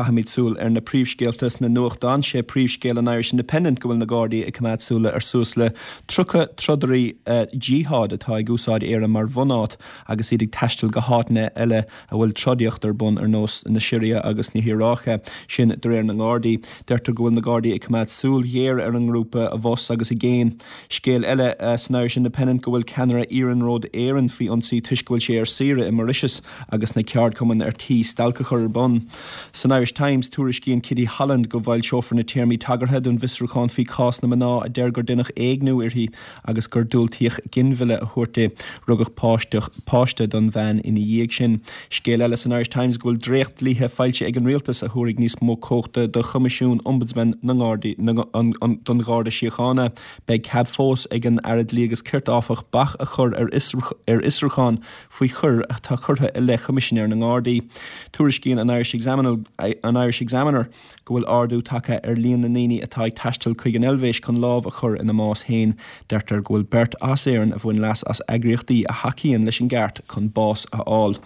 Caithfimid súil ar na príomhscéalta sna nuachtáin. Sé príomhscéal an Irish Independent go bhfuil na Gardaí ag coimeád súile ar suas le 30 trodairí jihad atá ag úsáid Éire mar bhunáit agus iad ag taisteal go háiteanna eile a bhfuil trodaíocht ar bun ar nós na Siria agus na hIaráice. Sin de réir na nGardaí. Deirtear go bhfuil na Gardaí ag coimeád súil ghéar ar an ngrúpa i bhfos agus i gcéin. Scéal eile san Irish Independent go bhfuil ceannaire Iarnród Éireann faoi ionsaí toisc go bhfuil sé ar saoire i Mauritius agus na ceardchumainn ar tí stailc a chur ar bun. San Irish Times, tuairiscíonn Kitty Holland go bhfoilseofar na téarmaí tagartha don bhfiosrúchán faoi chás na mná a deir gur deineadh éigniú uirthi agus gur diúltaíodh ginmhilleadh a thabhairt di. Rugadh páiste don bhean ina dhiaidh sin. Scéal eile san Irish Times go bhfuil dréacht-dlíthe foilsithe ag an Rialtas a thabharfaidh níos mó cumhachta do Choimisiún Ombudsman na nGardaí don Gharda Síochána. Beidh cead fós ag an Aire Dlí agus Cirt, áfach, bac a chur ar fhiosrúchán faoi choir atá curtha i leith Choimisinéir na nGardaí. Tuairiscíonn an Irish Examiner go bhfuil ardú tagtha ar líon na ndaoine atá ag taisteal chuig an Eilvéis chun lámh a chur ina mbás féin. Deirtear go bhfuil beirt as Éirinn a bhain leas as eagraíochtaí a thacaíonn leis an gceart chun bás a fháil.